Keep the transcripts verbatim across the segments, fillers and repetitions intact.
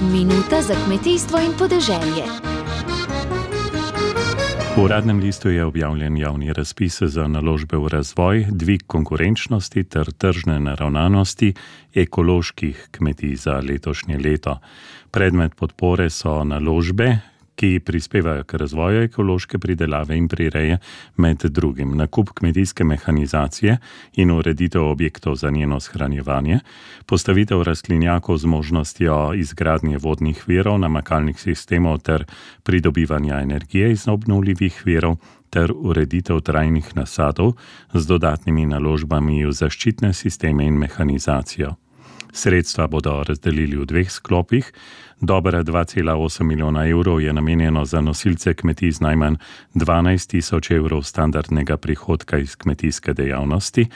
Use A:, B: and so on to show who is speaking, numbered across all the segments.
A: Minuta za kmetijstvo in podeželje.
B: V Uradnem listu je objavljen javni razpis za naložbe v razvoj, dvig konkurenčnosti ter tržne naravnanosti ekoloških kmetij za letošnje leto. Predmet podpore so naložbe, ki prispevajo k razvoju ekološke pridelave in prireje, med drugim nakup kmetijske mehanizacije in ureditev objektov za njeno shranjevanje, postavitev rastlinjakov z možnostjo izgradnje vodnih virov, namakalnih sistemov ter pridobivanja energije iz obnovljivih virov ter ureditev trajnih nasadov z dodatnimi naložbami v zaščitne sisteme in mehanizacijo. Sredstva bodo razdelili v dveh sklopih. Dobra dva cela osem milijona evrov je namenjeno za nosilce kmetij z najmanj dvanajst tisoč evrov standardnega prihodka iz kmetijske dejavnosti,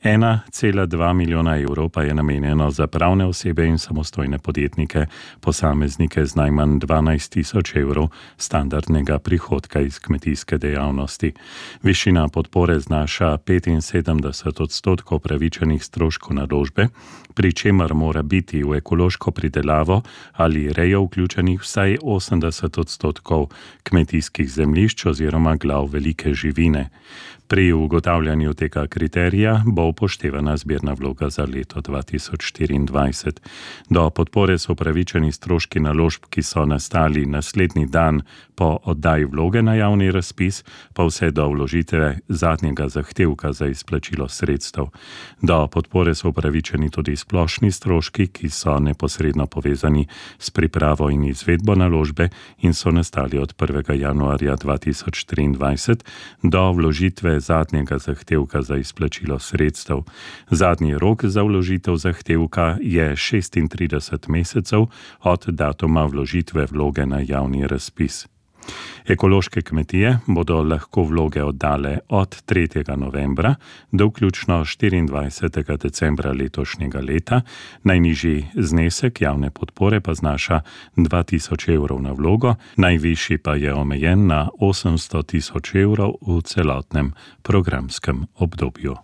B: ena cela dva milijona evrov pa je namenjeno za pravne osebe in samostojne podjetnike, posameznike z najmanj dvanajst tisoč evrov standardnega prihodka iz kmetijske dejavnosti. Višina podpore znaša petinsedemdeset odstotkov pravičenih stroškov naložbe, pri čemer mora biti v ekološko pridelavo ali rejo vključenih vsaj osemdeset odstotkov kmetijskih zemljišč oziroma glav velike živine. Pri ugotavljanju tega kriterija bo upoštevana zbirna vloga za leto dva tisoč štiriindvajset. Do podpore so upravičeni stroški naložb, ki so nastali naslednji dan po oddaji vloge na javni razpis, pa vse do vložitve zadnjega zahtevka za izplačilo sredstev. Do podpore so upravičeni tudi splošni stroški, ki so neposredno povezani s pripravo in izvedbo naložbe in so nastali od prvega januarja dva tisoč triindvajset do vložitve zadnjega zahtevka za izplačilo sredstev. Zadnji rok za vložitev zahtevka je šestintrideset mesecev od datuma vložitve vloge na javni razpis. Ekološke kmetije bodo lahko vloge oddale od tretjega novembra do vključno štiriindvajsetega decembra letošnjega leta. Najnižji znesek javne podpore pa znaša dva tisoč evrov na vlogo, najvišji pa je omejen na osemsto tisoč evrov v celotnem programskem obdobju.